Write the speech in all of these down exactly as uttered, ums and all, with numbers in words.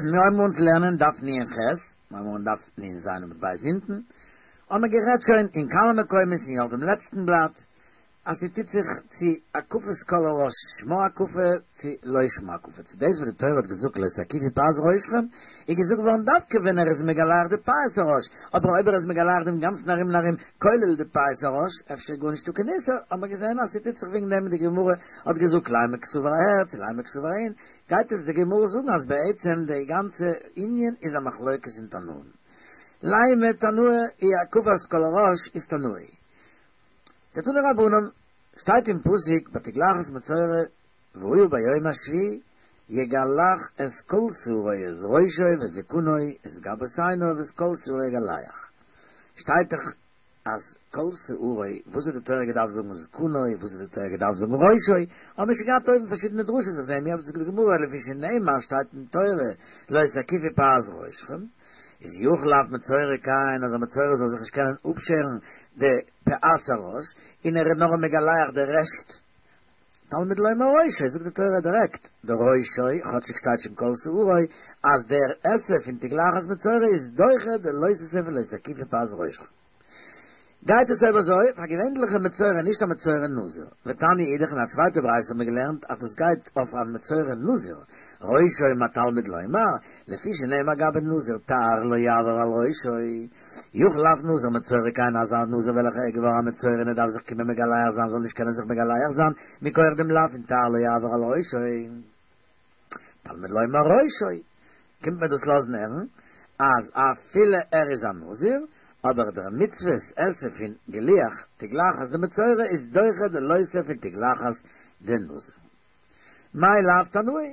מיר הייבן אן צו לערנען דף נ"ח, מיר הייבן אן דף נ"ז עמוד ב' אונטן, האבן מיר גערעדט שוין אין כמה מקומות אין דעם לעצטן בלאט, אז ס'טוט זיך צו הקפת כל הראש שמה הקפה צו לא שמה הקפה. צו דאס וואס די תורה האט געזאגט לא תקיפו פאת ראשכם, איז געזאגט געווארן דווקא ווען ער איז מגלח די פאת הראש, אבער אויב ער איז מגלח דעם גאנצן ארום און ארום, כולל די פאת הראש, אפשר גארנישטא קיין איסור, האבן מיר געזען אז ס'טוט זיך וועגן דעם די גמרא האט געזאגט לימא קסבר אהער צו לימא קסבר אהין, גייט עס די גמרא זאגן אז בעצם די גאנצע ענין איז א מחלוקת אין תנאים. לימא תנאי היא הקפת כל הראש איז תנאי. דתנו רבנן, שטייט אין פסוק בתגלחת מצורע והיה ביום השביעי יגלח את כל שערו את ראשו ואת זקנו את גבות עיניו ואת כל שערו יגלח. שטייט דאך אז כל שערו, וואס האט די תורה געדארפט זאגן זקנו, וואס האט די תורה געדארפט זאגן ראשו, האבן מיר שוין געהאט אויבן פארשידענע דרשות אויף דעם, אבער זאגט די גמרא לפי שנאמר שטייט אין תורה לא תקיפו פאת ראשכם, איז יכול אף מצורע כן אז א מצורע זאל זיך נישט קענען אפשערן די פאת הראש, און ער איז נאר מגלח די רעשט. תלמוד לומר ראשו, זאגט די תורה דירעקט, די ראשו, כאטשיג שטייט שוין כל שערו, אז דער עשה פון תגלחת מצורע איז דוחה די לא תעשה פון לא תקיפו פאת ראשכם. גייט עס אויב אזוי אויף א געווענליכע מצורע נישט א מצורע נזיר. ותניא אידך אין א צווייטע ברייתא האט מען געלערנט אז דאס גייט אויף א מצורע נזיר, ראשו מה תלמוד לומר, לפי שנאמר גבי נזיר תער לא יעבור על ראשו, יכול אף נזיר מצורע כן אז א נזיר וועלכע איז געווארן א מצורע און ער דארף זיך קומען מגלח זיין זאל נישט קענען זיך מגלח זיין מכח דעם לאו פון תער לא יעבור על ראשו. תלמוד לומר ראשו, קומט מיר דאס לאזן הערן אז אפילו ער איז א נזיר, אבער דער מצוות עשה פון גילוח תגלחת דמצורע איז דוחה די לא תעשה פון תגלחת דנזיר. מאי לאו תנאי?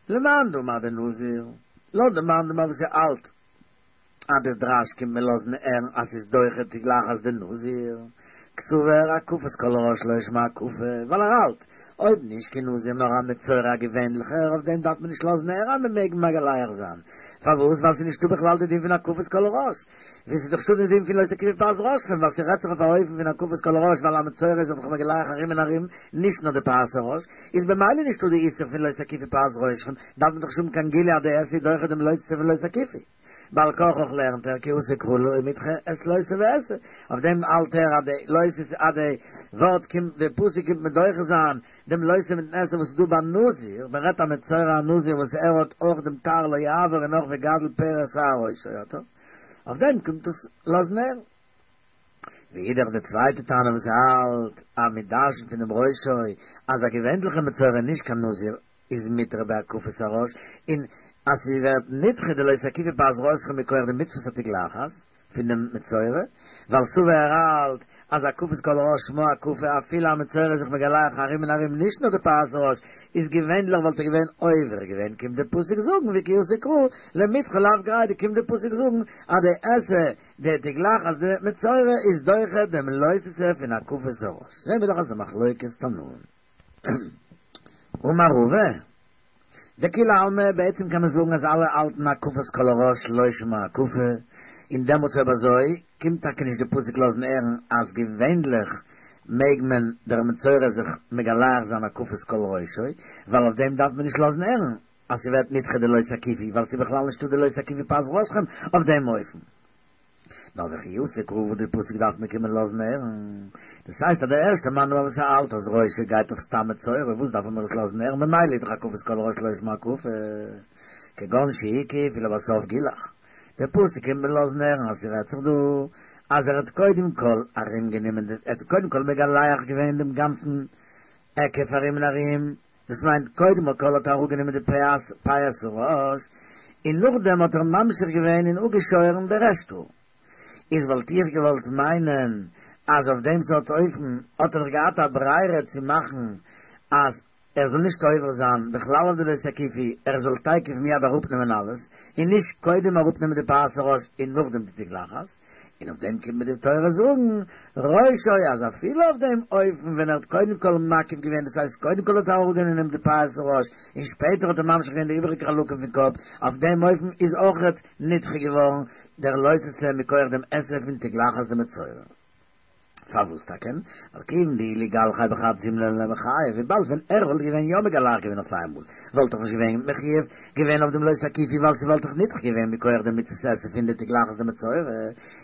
למאן דאמר דנזיר, לויט די מאן דאמר וואס ער האלט אז דער דרש קומט מיר לאזן הערן אז ס'איז דוחה תגלחת דנזיר, קסבר הקפת כל הראש לא שמה הקפה, ווייל ער האלט אויב נישט קיין נזיר נאר א מצורע א געווענליכער אויף דעם דארף מען נישט לאזן הערן אז מען מעג מגלח זיין, פארוואס? ווייל ס'איז נישטא בכלל די דין פון הקפת כל הראש, ווי ס'איז דאך נישטא די דין פון לא תקיפו פאת ראשכם, ווייל ס'רעדט זיך אויף א אופן פון הקפת כל הראש ווייל א מצורע איז דאך מגלח ארום און ארום נישט נאר די פאת הראש, איז במילא נישטא די איסור פון לא תקיפו פאת ראשכם, דארף מען דאך נישט האבן קיין גילוי אז די עשה איז דוחה דעם לא תעשה פון לא תקיפו. בעל כרחך לערנט ער כי אתא קרא למידחי את לא תעשה ועשה, אויף דעם האלט ער אז די לא תעשה אז די ווארט קומט די פסוק קומט מדוחה זיין דעם לא תעשה מיטן עשה וואס איז דא ביי נזיר, מען רעדט א מצורע א נזיר וואס ער האט אויך דעם תער לא יעבור און אויך וגדל פרע שער ראשו האט ער, אויף דעם קומט עס לאזן הערן. ואידך די צווייטע תנא וואס האלט אז מען דרש'נט פון דעם ראשו אז א געווענליכע מצורע נישט קיין נזיר איז מותר בהקפת הראש און אז ס'ווערט נדחה די לא תקיפו פאת ראשכם מכח די מצוות התגלחת פון דעם מצורע, ווייל סבר ער האלט אז הקפת כל הראש שמה הקפה אפילו א מצורע איז זיך מגלח ארום און ארום נישט נאר די פאת הראש איז געווענליך וואלט ער געווען עובר געווען קומט די פסוק זאגן וכי אתא קרא למידחי לאו גרידא קומט די פסוק זאגן אז די עשה די תגלחת דמצורע איז דוחה דעם לא תעשה פון הקפת הראש זעהן מיר דאך אז ס'איז מחלוקת תנאים. אמר רבא. דכולי עלמא, בעצם קען מען זאגן אז אלע האלטן הקפת כל הראש לא שמה הקפה, און דעמאלטס אויב אזוי קומט טאקע נישט די פסוק לאזן הערן אז געווענליך מעג מען דער מצורע זיך מגלח זיין הקפת כל ראשו, ווייל אויף דעם דארף מען נישט לאזן הערן אז ס'ווערט נדחה די לא תקיפו ווייל ס'איז בכלל נישטא די לא תקיפו פאת ראשכם אויף דעם אופן. נאר וכי אתא קרא וואס די פסוק דארף מיר קומען לאזן הערן. דאס הייסט אז דער ערשטער מאן דאמר וואס האלט אז ראשו גייט אויף סתם מצורע וואס דארף מען עס לאזן הערן ממילא איז דאך הקפת כל הראש לא שמה הקפה כגון שהקיף ולבסוף גילח. דער פסוק קומט מיר לאזן הערן אז ס'רעדט זיך דא אז ער האט קודם כל ארום גענומען די ער האט קודם כל מגלח געווען דעם גאנצן היקף ארום און ארום דאס מיינט קודם כל האט ער אראפגענומען די פאת פאת הראש, און נאכדעם האט ער ממשיך געווען און אפגעשוירן די רעשט האר. איז וואלט איך געוואלט מיינען אז אויף דעם סארט אופן האט ער דאך געהאט א ברירה צו מאכן אז ער זאל נישט עובר זיין בכלל אויף די לא תקיפו, ער זאל תיכף מיד אראפנעמען אלעס, און נישט קודם אראפנעמען די פאת הראש און נאכדעם די תגלחת. און אויף דעם קומט מיר די תורה זאגן, ראשו, אז אפילו אויף דעם אופן ווען ער האט קודם כל מקיף געווען, דאס הייסט קודם כל האט ער אראפגענומען די פאת הראש און שפעטער האט ער ממשיך געווען די איבעריגע חלקים פון קאפ, אויף דעם אופן איז אויכעט נדחה געווארן דער לא תעשה מכח דעם עשה פון תגלחת דמצורע. פארוואס טאקע? ווייל כיון דאי לגלחיה בחד זימנא לא מיחייב, וויבאלד ווען ער וואלט געווען יא מגלח געווען אויף איינמאל, וואלט דאך נישט געווען מחויב געווען אויף דעם לא תקיפו ווייל ס'וואלט דאך נדחה געווען מכח דעם מצות עשה פון די תגלחת דמצורע,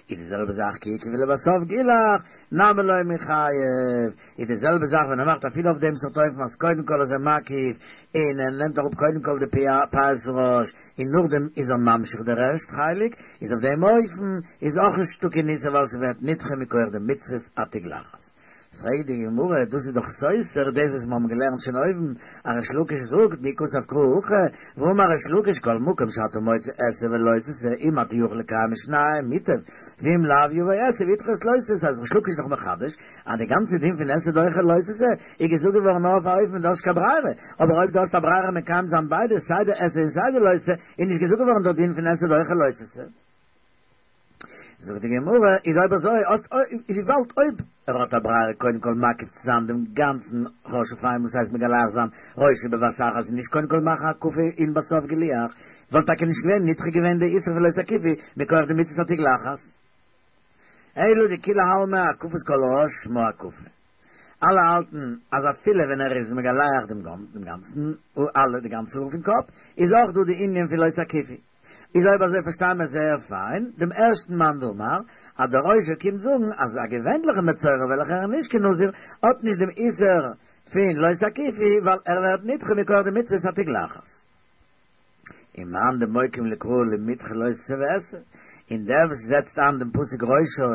איז די זעלבע זאך כי הקיף ולבסוף גילח, נמי לא מיחייב, איז די זעלבע זאך ווען ער מאכט אפילו אויף דעם סארט אופן אז קודם כל איז ער מקיף און ער נעמט אראפ קודם כל די פאת ראש און נאכדעם איז ער ממשיך די רעשט חלק, איז אויף דעם אופן איז אויך נישטא קיין איסור ווייל ס'ווערט נדחה מכח די מצות התגלחת. פרעגט די גמרא, דאס איז דאך סותר דאס וואס מיר האבן געלערנט שוין אויבן, אז ריש לקיש זאגט מי כתב קרא הכי, והאמר ריש לקיש כל מקום שאתה מוצא עשה ולא תעשה אם אתה יכול לקיים שניהם מוטב ואם לאו יבוא עשה וידחה את לא תעשה אז ריש לקיש איז דאך מחדש אז די גאנצע דין פון עשה דוחה לא תעשה איז געזאגט געווארן נאר אויף א אופן ווען דו האסט נישט קיין ברירה, אבער אויב דו האסט א ברירה מקיים זיין ביידע סיי די עשה און סיי די לא תעשה איז נישט געזאגט געווארן דער דין פון עשה דוחה לא תעשה. זאגט די גמרא, איז אויב אזוי, איז וויבאלד אויב ער האט א ברירה קודם כל מקיף צו זיין דעם גאנצן ראש אויף איינמאל ס'הייסט מגלח זיין ראשו בבת אחת און נישט קודם כל מאכן הקפה און בסוף גילוח, וואלט טאקע נישט געווען נדחה געווען די איסור פון לא תקיפו מכח די מצות התגלחת. אלא דכולי עלמא הקפת כל הראש שמה הקפה. אלע האלטן אז אפילו ווען ער איז מגלח דעם גאנצן אלע די גאנצע האר פון קאפ איז אויך דא די ענין פון לא תקיפו. איז אויב אזוי פארשטיי מיר זייער פיין דעם ערשטן מאן דאמר, אז דער ראשו קומט זאגן אז א געווענליכע מצורע וועלכער איז נישט קיין נזיר האט נישט דעם איסור פון לא תקיפו ווייל ער ווערט נדחה מכח די מצוות התגלחת. ומאן דמוקים לקרא למידחי לא תעשה ועשה, און דער וואס זעצט איין דעם פסוק ראשו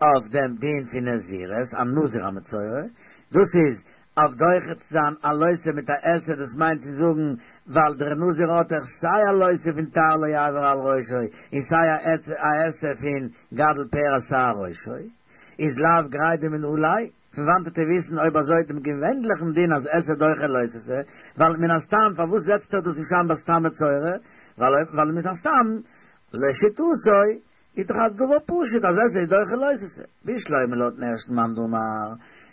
אויף דעם דין פון נזירות, א נזיר א מצורע, דאס איז אויף דוחה צו זיין א לא תעשה מיט א עשה, דאס מיינט צו זאגן ווייל דער נזיר האט דאך סיי א לא תעשה פון תער לא יעבור על ראשו און סיי א עשה פון גדל פרע שער ראשו, איז לאו גרידא מנא ליה, פון וואנט וועט ער וויסן אויב אזוי דעם געווענליכן דין אז עשה דוחה לא תעשה, ווייל מן הסתם פארוואס זעצט ער דאס נישט איין ביי סתם מצורע, ווייל מן הסתם לשיטתו איז דאך א דבר פשוט אז עשה איז דוחה לא תעשה, בשלמא לויטן ערשטן מאן דאמר,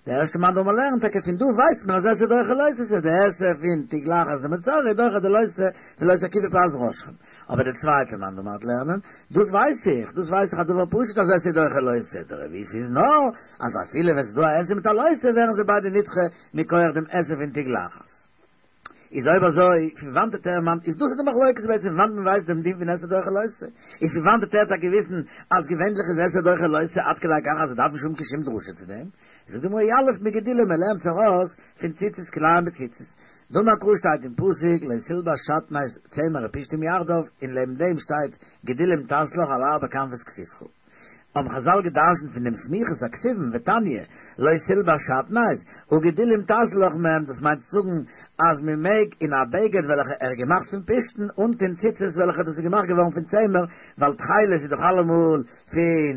דער ערשטער מאן דאמר לערנט טאקע פון דא ווייסט מען אז עשה דוחה לא תעשה, די עשה פון תגלחת דמצורע איז דוחה די לא תעשה פון לא תקיפו פאת ראשכם, אבער דער צווייטער מאן דאמר וועט לערנען, דאס ווייס איך, דאס ווייס איך א דבר פשוט אז עשה דוחה לא תעשה, דער רבית איז נאר אז אפילו ווען ס'איז דא א עשה מיט א לא תעשה ווערן זיי ביידע נדחה מכח דעם עשה פון תגלחת. איז אויב אזוי, פון וואנט וועט ער מאן, איז דאס איז די מחלוקת בעצם, פון וואנט מען ווייסט דעם דין פון עשה דוחה לא תעשה, איז פון וואנט וועט ער טאקע וויסן אז געווענליך איז עשה דוחה לא תעשה עד כדי כך אז עס דארף נישט האבן קיין שום דרשה צו דעם, זאגט די גמרא יליף מגדילים מען לערנט עס ארויס פון ציצית כלאים בציצית, דאמר קרא שטייט אין פסוק לא תלבש שעטנז צמר ופשתים יחדיו און לעבן דעם שטייט גדילים תעשה לך על ארבע כנפות כסותך. האבן חזל געדרשנט פון דעם סמיכות הכתובים ותניא לא תלבש שעטנז וגדילים תעשה לך מהם דאס מיינט צו זאגן אז מען מעג אין א בגד וועלכע ער איז געמאכט פון פשתן אנטון ציצית וועלכע דאס איז געמאכט געווארן פון צמר ווייל תכלת איז דאך אלעמאל פון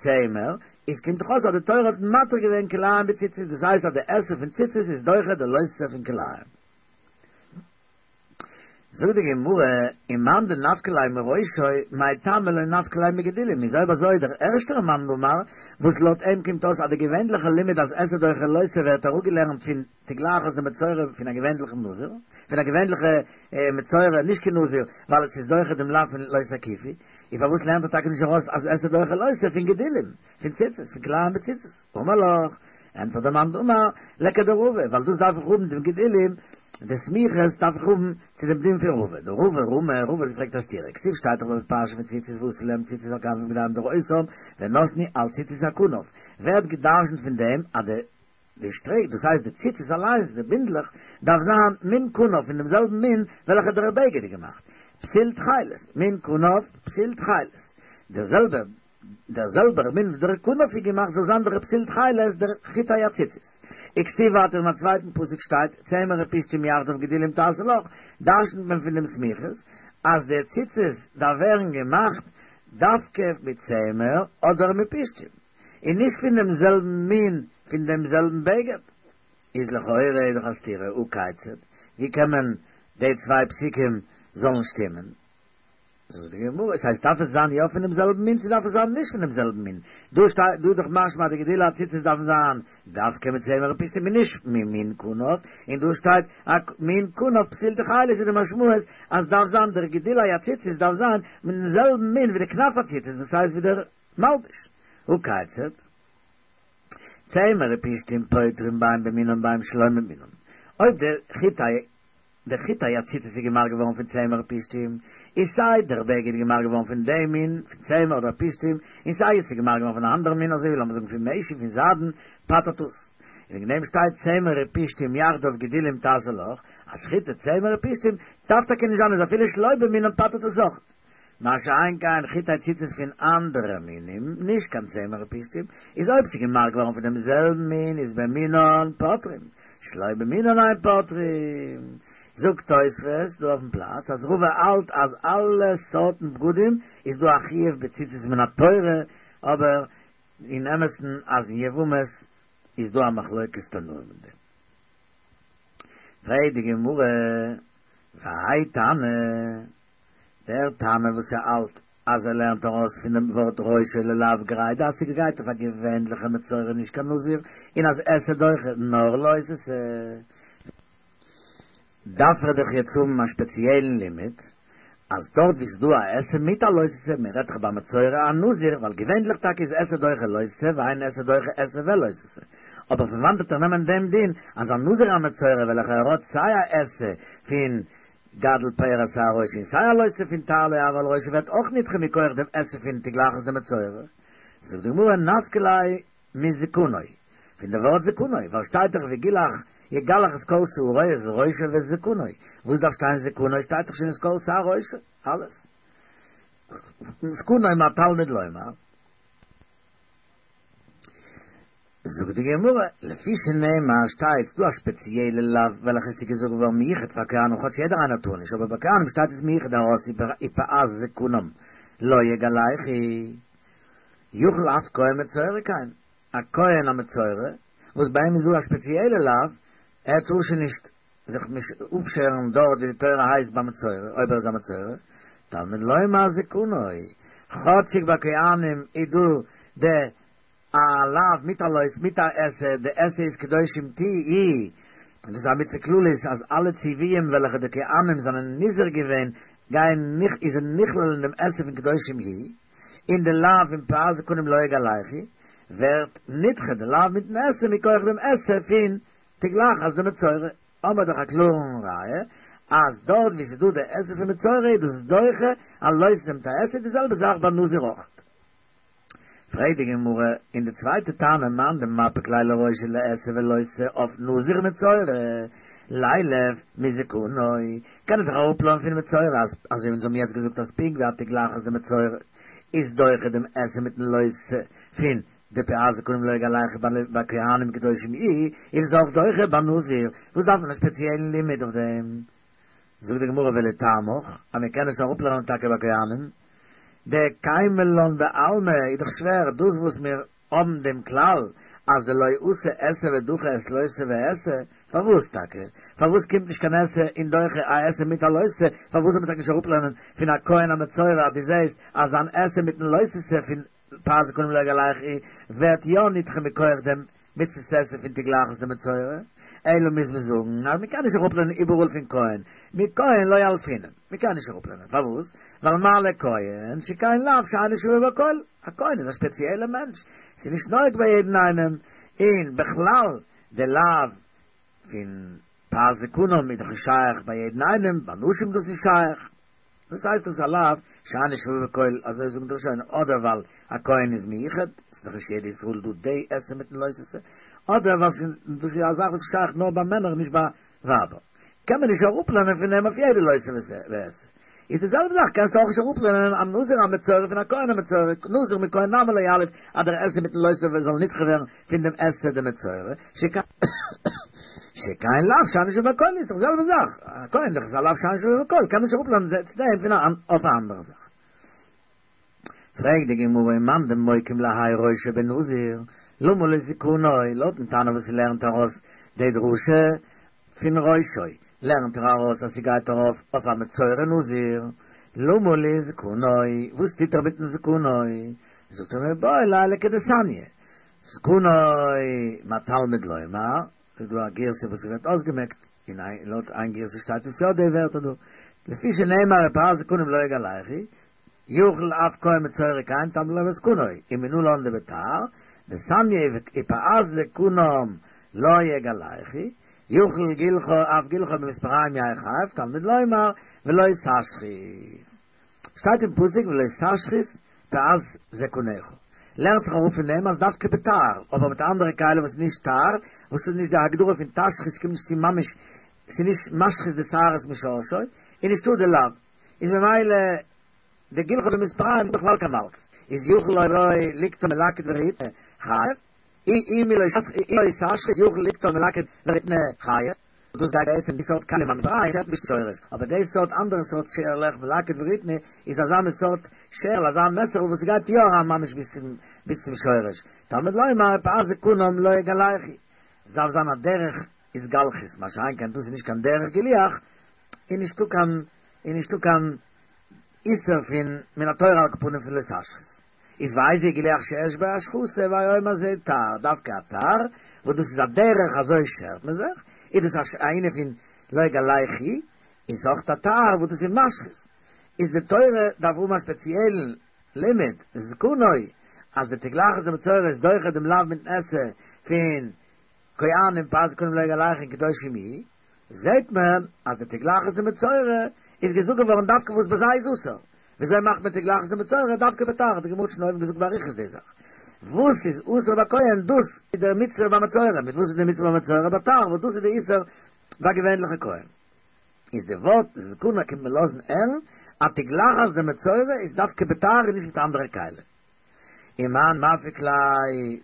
צמר איז קומט דאך אויס אז די תורה האט מתיר געווען כלאים בציצית דאס הייסט אז די עשה פון ציצית איז דוחה די לא תעשה פון כלאים. זאגט די גמרא, ומאן דנפקא ליה מראשו, מאי טעמא לא נפקא ליה מגדילים, איז אויב אזוי דער ערשטער מאן דאמר, וואס לויט אים קומט אויס אז די געווענליכע לימוד אז עשה דוחה לא תעשה ווערט אראפגעלערנט פון תגלחת דמצורע פון א געווענליכן נזיר, פון א געווענליכע מצורע נישט קיין נזיר, ווייל עס איז דוחה דעם לאו פון לא תקיפו, איז פארוואס לערנט ער טאקע נישט ארויס אז עשה דוחה לא תעשה פון גדילים, פון ציצית, פון כלאים בציצית? אמר לך, ענטפערט דער מאן דאמר, לכדרבא, ווייל דאס דארף איך האבן דעם גדילים, די סמיכות דארף איך האבן צו דעם דין פון רבא, דרבא רמי, רבא האט געפרעגט א סתירה, כתיב שטייט דאך ביי די פרשה פון ציצית ועשו להם ציצית על כנפי בגדיהם לדורותם ונתנו על ציצית הכנף, ווערט גע'דרש'נט פון דעם אז די די שטריק, דאס הייסט די ציצית אליינס, די בינדלעך, דארף זיין מין כנף פון דעם זעלבן מין וועלכע דער בגד איז געמאכט, פתיל תכלת, מין כנף, פתיל תכלת, דער זעלבער. דער זעלבער מין ווי דער כנף איז געמאכט זאל זיין דער פתיל תכלת דער חוט הציצית. וכתיב ווייטער אין א צווייטן פסוק שטייט צמר ופשתים יחדיו גדילים תעשה לך, דרשנ'ט מען פון דעם סמיכות אז די ציצית דארף ווערן געמאכט דווקא מיט צמר אדער מיט פשתים, און נישט פון דעם זעלבן מין פון דעם זעלבן בגד. איז לכאורה איז דאך א סתירה, הא כיצד, ווי קען מען די צוויי פסוקים זאלן שטימען? זאגט די גמרא, עס הייסט דארף עס זיין יא פונעם זעלבן מין צו דארף עס זיין נישט פונעם זעלבן מין? דא שטייט דא דאך משמע אז די גדילי הציצית דארפן זיין דווקא מיט צמר ופשתים און נישט ממין כנף, און דא שטייט א מין כנף פתיל תכלת איז די משמעות אז דארף זיין דער גדילי הציצית דארף זיין מיטן זעלבן מין ווי די כנף הציצית דאס הייסט ווי דער מלבוש. הא כיצד? צמר ופשתים פוטרים בין במינם בין שלא במינם. אויב דער חטאי, דער חטאי הציצית איז געמאכט געווארן פון צמר ופשתים, איז סיי דער בגד געמאכט געווארן פון דעם מין, פון צמר אדער פשתים, און סיי איז געמאכט געווארן פון אן אנדערן מין, אזוי ווי לאמיר זאגן פון משי, פון זיידן, פטר'ט עס. וועגן דעם שטייט צמר ופשתים יחדיו גדילים תעשה לך, אז חטאי צמר ופשתים דארף טאקע נישט זיין, אז אפילו שלא במינם פטר'ט עס אויך. מה שאין כן חטאי ציצית פון אנדערע מינים, נישט קיין צמר ופשתים, איז אויב ס'איז געמאכט געווארן פון דעם זעלבן מין, איז במינן פוטרים, שלא במינן אין פוטרים. זאגט תוספות דא אויפן פלאץ, אז רבא האלט אז אלע סארטן בגדים איז דא א חיוב בציצית מן התורה, אבער אין אמת'ן אז אין יבמות איז דא א מחלוקת תנאים אין דעם. פרעגט די גמרא, והאי תנא, דער תנא וואס ער האלט אז ער לערנט ארויס פון דעם ווארט ראשו ללאו גרידא, אז ס'גייט אויף א געווענליכע מצורע נישט קיין נזיר, און אז עשה דוחה נאר לא תעשה, דארף ער דאך יעצט האבן א שפעציעלן לימוד אז דארט ווי ס'איז דא א עשה מיט א לא תעשה, מען רעדט דאך ביי מצורע א נזיר, ווייל געווענליך טאקע איז עשה דוחה לא תעשה ואין עשה דוחה עשה ולא תעשה, אבער פון וואנעט וועט ער נעמען דעם דין אז א נזיר א מצורע וועלכער ער האט סיי א עשה פון גדל פאר את שער ראשו און סיי א לא תעשה פון תער לא יעבור על ראשו ווערט אויך נדחה מכח דעם עשה פון תגלחת דמצורע? זאגט די גמרא נפקא ליה מזקנו, פון די ווארט זקנו, ווייל שטייט דאך וגילח יגלח את כל שערו את ראשו ואת זקנו, וואס דארף שטיין זקנו, שטייט דאך שוין את כל שער ראשו, אלעס. זקנו מה תלמוד לומר? זאגט די גמרא, לפי שנאמר שטייט ס'דא א שפעציעלע לאו וועלכע עס איז געזאגט געווארן מיוחד פאר כהנים כאטש יעדער איינער טאר נישט אבער ביי כהנים שטייט עס מיוחד ארויס ופאת זקנם לא יגלחו יכול אף כהן מצורע כן א כהן א מצורע וואס ביי אים איז דא א שפעציעלע לאו ער טאר שוין נישט זיך אפשערן דארט ווי די תורה הייסט ביי מצורע אויב ער איז א מצורע תלמוד לומר זקנו כאטשיג ביי כהנים איז דא די א לאו מיט א לא מיט א עשה, די עשה איז קדושים תהיו, און דאס איז א מצוה כללית אז אלע ציוויים וועלכע די כהנים זענען נזהר געווען גייען איז נכלל אין דעם עשה פון קדושים תהיו, און די לאו פון פאת זקנם לא יגלחו ווערט נדחה די לאו מיטן עשה מכח דעם עשה פון תגלחת דמצורע, האמער דאך א קלארן ראיה אז דארט ווי ס'איז דא די עשה פון מצורע איז דאס דוחה א לא תעשה מיט א עשה, די זעלבע זאך ביי נזיר אויך. פרעגט די גמרא אין די צווייטע תנא מאן דמפיק ליה לראשו לעשה ולא תעשה אויף נזיר מצורע לילף מזקנו, קען ער זיך אראפלערנען פון מצורע אז אזוי ווי אונז האבן יעצט געזאגט אז פונקט ווי א תגלחת דמצורע איז דוחה דעם עשה מיטן לא תעשה פון די פאת זקנם לא יגלחו ביי כהנים קדושים תהיו איז עס אויך דוחה ביי נזיר, וואס דארף מען א ספעציעלן לימוד אויף דעם? זאגט די גמרא ולטעמיך אז מען קען עס אראפלערנען טאקע ביי כהנים, דקיימא לן בעלמא איז דאך שווער דאס וואס מיר האבן דעם כלל אז דלא אתי עשה ודחי את לא תעשה ועשה, פארוואס טאקע? פארוואס קומט נישט קיין עשה און דוחה א עשה מיט א לא תעשה? פארוואס זאל מען טאקע נישט אראפלערנען פון א כהן א מצורע אז דו זעסט אז זיין עשה מיטן לא תעשה פון פאת זקנם לא יגלחו ווערט יא נדחה מכח דעם מצות עשה פון תגלחת דמצורע, אלא מוז מען זאגן אז מ'קען נישט אראפלערנען איבעראל פון כהן, מכהן לא ילפינן, מ'קען נישט אראפלערנען, פארוואס? ווייל מה לכהן שכן לאו שאינו שווה בכל, א כהן איז א ספעציעלע מענטש, ס'איז נישט נוהג ביי יעדן איינעם, און בכלל די לאו פון פאת זקנם איז דאך נישט שייך ביי יעדן איינעם, ביי נשים דאס איז שייך. וואס הייסט דאס א לאו שאינו שווה בכל, אזוי זאגן די ראשונים, אדער ווייל א כהן איז מיוחד, ס'איז דאך נישט יעדע ישראל דא די עשה מיטן לא תעשה, אדער ווייל דאס איז א זאך וואס איז שייך נאר ביי מענער נישט ביי ווייבער, קען מען נישט אראפלערנען פון דעם אויף יעדע לא תעשה ועשה. איז די זעלבע זאך קענסטו אויך נישט אראפלערנען א נזיר א מצורע פון א כהן א מצורע, נזיר מכהן נמי לא יליף אז דער עשה מיטן לא תעשה זאל נדחה ווערן פון דעם עשה דמצורע, שכן לאו שאינו שווה בכל איז דאך די זעלבע זאך, א כהן דאך איז א לאו שאינו שווה בכל, קען מען נישט אראפלערנען צו דעם פון אויף א אנדערע זאך. פרעגט די גמרא ומאן דמוקים להאי ראשו בנזיר, למה לי זקנו, לויטן תנא וואס לערנט ארויס די דרשה פון ראשו, לערנט ער ארויס אז ס'גייט ארויף אויף א מצורע נזיר, למה לי זקנו, וואס טוט ער מיטן זקנו? זאגט ער מיבעי ליה לכדתניא, זקנו מה תלמוד לומר, איז דא א גירסא וואס ווערט אויסגעמעקט, און לויט איין גירסא שטייט עס יא די ווערטער דא, לפי שנאמר ופאת זקנם לא יגלחו, יכול אף כהן מצורע כן תלמוד לומר זקנו, ומנלן דבתער, דתניא ופאת זקנם לא יגלחו, יכול גילחו אף גילחו במספריים יהא חייב, תלמוד לומר ולא תשחית. שטייט אין פסוק ולא תשחית פאת זקנך. לערנט זיך אראפ פון דעם אז דווקא בתער, אבער מיט אנדערע כלים וואס נישט תער, וואס איז נישט די הגדרה פון תשחית קומט נישט צו ממש, ס'איז נישט משחית די שערות משורשו, און נישטא די לאו. איז ממילא די גילחו במספריים איז בכלל קיין מלקות. איז יכול ליקטן מלקט ורהיטני חייב, אי אם לא תשחית יכול ליקטן מלקט ורהיטני חייב, דאס גייט בעצם די סארט כלים במספריים שערט נישט שורש, אבער די סארט אנדערע סארט שערלעך מלקט ורהיטני איז אזא מין סארט שערל אזא מעסערל וואס גייט יא אריין ממש ביז צום ביז צום שורש, תלמוד לומר ופאת זקנם לא יגלחו, עס דארף זיין א דרך התגלחות, מה שאין כן דאס איז נישט קיין דרך גילוח, און נישטא קיין און נישטא קיין איסור פון מן התורה על כל פנים פון לא תשחית. איז ואיזהו גילוח שיש בו השחתה הוי אומר זה תער, דווקא א תער, וואס דאס איז א דרך אזוי שערט מען זיך, איז דאס א ענין פון לא יגלחו, און ס'איז אויך א תער וואס דאס איז משחית. איז די תורה דארף האבן א ספעציעלן לימוד, זקנו, אז די תגלחת דמצורע איז דוחה דעם לאו מיטן עשה פון כהנים פאת זקנם לא יגלחו קדושים יהיו, זעהט מען אז די תגלחת דמצורע איז געזאגט געווארן דווקא וואס ביי זיי איז אסור. וויאזוי מאכט מען תגלחת דמצורע דווקא בתער, האט די גמרא שוין אויבן געזאגט באריכות די זאך. וואס איז אסור ביי כהן דאס איז דער מצוה ביי מצורע, מיט וואס איז די מצוה ביי מצורע בתער, וואס דאס איז די איסור ביי געווענליכע כהן. איז די ווארט זקנו קומט מען לאזן הערן אז תגלחת דמצורע איז דווקא בתער און נישט מיט אנדערע כלים. ומאן מפיק ליה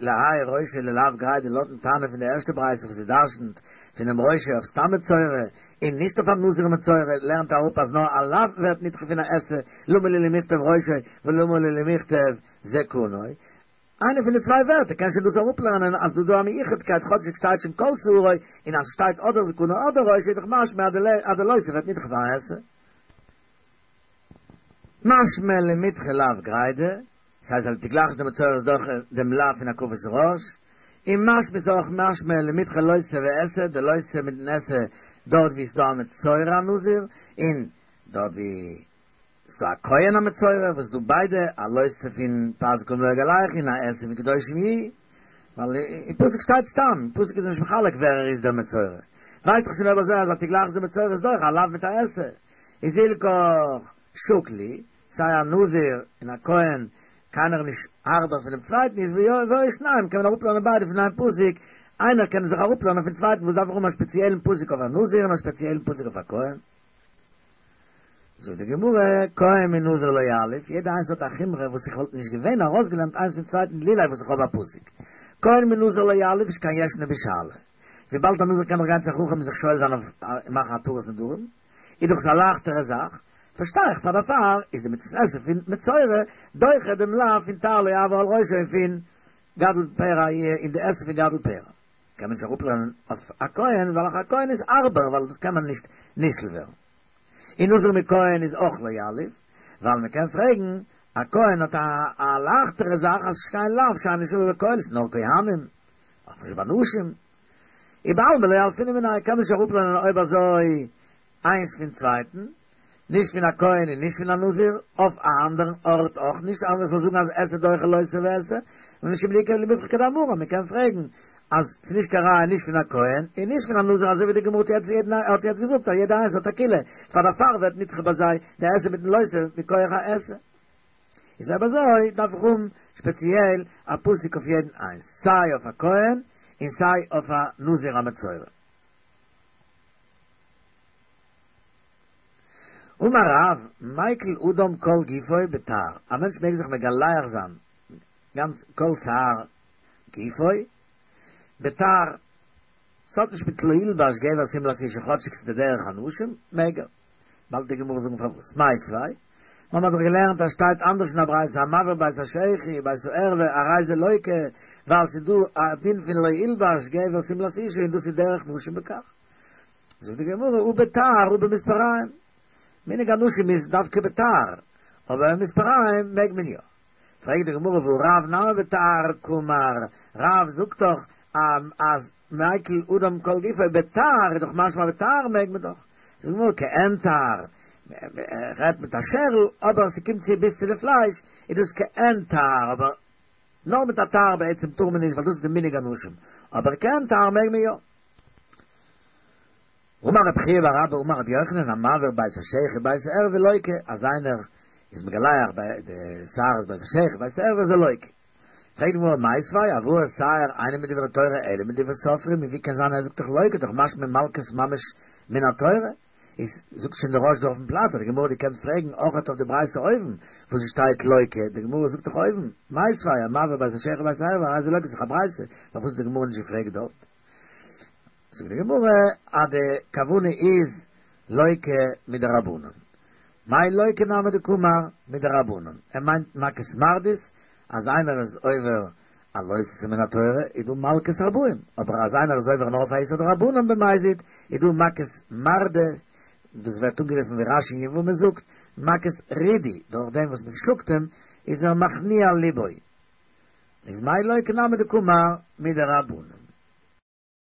להאי ראשו ללאו גרידא לויטן תנא פון די ערשטע ברייתא וואס איז דרשנ'ט פונעם ראשו אויף סתם מצורע און נישט אויף א נזיר מצורע לערנט אראפ אז נאר א לאו ווערט נדחה פון א עשה למה לי למכתב ראשו ולמה לי למכתב זקנו איינע פון די צוויי ווערטער קען שוין דאס אראפלערנען אז דא דא א מיוחדקייט כאטשיג שטייט שוין כל שערו און אז שטייט אדער זקנו אדער ראשו איז דאך משמע אז די לא תעשה ווערט נדחה פון א עשה. משמע למידחי לאו גרידא, ס'הייסט אז תגלחת דמצורע איז דוחה דעם לאו פון הקפת ראש, און משמע איז אויך משמע למידחי לא תעשה ועשה, די לא תעשה מיטן עשה דארט ווי ס'דא א מצורע א נזיר, און דארט ווי ס'דא א כהן א מצורע, וואס דא ביידע א לא תעשה פון פאת זקנם לא יגלחו און א עשה פון קדושים יהיו, ווייל אין פסוק שטייט סתם, אין פסוק איז נישט מחלק ווער ער איז דער מצורע, ווייסט דאך שוין אויב אזוי אז א תגלחת דמצורע איז דוחה א לאו מיט א עשה, איז הילכך שקיל להו, סיי א נזיר און א כהן, קיינער איז נישט הארבער פונעם צווייטן, איז והיו שניהם, קען מען אראפלערנען ביידע פון איין פסוק, איינער קען זיך אראפלערנען פון צווייטן, וואס דארף איך האבן א ספעציעלן פסוק אויף א נזיר און א ספעציעלן פסוק אויף א כהן? זאגט די גמרא, כהן מנזיר לא יליף, יעדע איינס האט א חומרא וואס איך וואלט נישט געווען ארויסגעלערנט איינס פון צווייטן לולא וואס איך האב א פסוק. כהן מנזיר לא יליף שכן ישנו בשאלה. וויבאלד א נזיר קען דאך גיין צו א חכם און זיך שואל זיין אויף מאכן התרת נדרים, איז דאך עס א לייכטערע זאך, פארשטיי איך פאר דערפאר איז די מצות עשה פון מצורע דוחה דעם לאו פון תער לא יעבור על ראשו און פון גדל פרע און די עשה פון גדל פרע קען מען נישט אראפלערנען אויף א כהן ווייל א כהן איז הארבער ווייל דאס קען מען נישט נתפעל ווערן און נזיר מכהן איז אויך לא יליף ווייל מען קען פרעגן א כהן האט א א לייכטערע זאך אז שכן לאו שאינו שווה בכל ס'איז נאר כהנים אויך נישט ביי נשים ובעלמא לא ילפינן מיניה קען מען נישט אראפלערנען אויב אזוי איינס פון צווייטן נישט פון א כהן און נישט פון א נזיר, אויף א אנדערן ארט אויך נישט, אז מען זאל זאגן אז עשה דוחה לא תעשה ועשה, ומשום דאיכא למיפרך כדאמרן, מען קען פרעגן אז ס'איז נישט קיין ראיה נישט פון א כהן און נישט פון א נזיר אזוי ווי די גמרא האט יעצט האט יעצט געזאגט אז יעדע איינס האט א קולא, פאר דערפאר ווערט נדחה ביי זיי די עשה מיטן לא תעשה מכח העשה. איז אויב אזוי דארף איך האבן שפעציעל א פסוק אויף יעדן איינס, סיי אויף א כהן און סיי אויף א נזיר א מצורע. אמר רב, מיקל אדם כל גופו בתער, א מענטש מעג זיך מגלח זיין גאנץ כל שער גופו בתער, ס'האט נישט מיט לא ילבש גבר שמלת אשה כאטשיג ס'איז די דרך הנשים, מעג ער. באלד די גמרא זאגן פארוואס. מיתיבי, מ'האט דאך געלערנט אז שטייט אנדערש אין א ברייתא המבעיר בית השחי בית הערווה הרי זה לוקה ווייל ס'איז דא א דין פון לא ילבש גבר שמלת אשה און דאס איז דרך נשים בכך. זאגט די גמרא הא בתער הא במספריים, מנהג הנשים איז דווקא בתער, אבער במספריים מעג מען יא. פרעגט די גמרא והא רב נמי בתער קאמר, רב זאגט דאך אז מיקל אדם כל גופו בתער איז דאך משמע בתער מעג מען דאך. זאגט די גמרא כעין תער, רעדט מיט א שערל אבער ס'קומט צו ביז צו די פלייש איז דאס כעין תער אבער נאר מיט א תער בעצם טאר מען נישט, ווייל דאס איז די מנהג אנשים. אבער כעין תער מעג מען יא. אמר רב חייא בר אבא אמר רבי יוחנן המעביר בית השחי ובית הערוה לוקה, אז איינער איז מגלח ביי די שערות בית השחי ובית הערוה איז ער לוקה. פרעגט די גמרא מיתיבי העברת שער אינה מדברי תורה אלא מדברי סופרים, ווי קען זיין ער זאגט דאך לוקה דאך משמע מלקות ממש מן התורה, איז זאגט שוין דער רא"ש דא אויפן פלאץ אז די גמרא האט געקענט פרעגן אויכעט אויף די ברייתא אויבן וואס עס שטייט לוקה, די גמרא זאגט דאך אויבן מיתיבי המעביר בית השחי ובית הערוה הרי זה לוקה ס'איז דאך א ברייתא, פארוואס האט די גמרא נישט געפרעגט דארט? זאגט די גמרא אז די כוונה איז לוקה מדרבנן. מאי לוקה נמי דקאמר מדרבנן, ער מיינט מכות מרדות, אז איינער איז עובר א לא תעשה מן התורה איז דא מלקות ארבעים, אבער אז איינער איז עובר נאר אויף א איסור דרבנן במזיד איז דא מכות מרדה, דאס ווערט אנגערופן ווי רש"י אין יבמות זאגט, מכות רידוי, דורך דעם וואס מען שלאגט אים איז ער מכניע ליבו. איז מאי לוקה נמי דקאמר מדרבנן.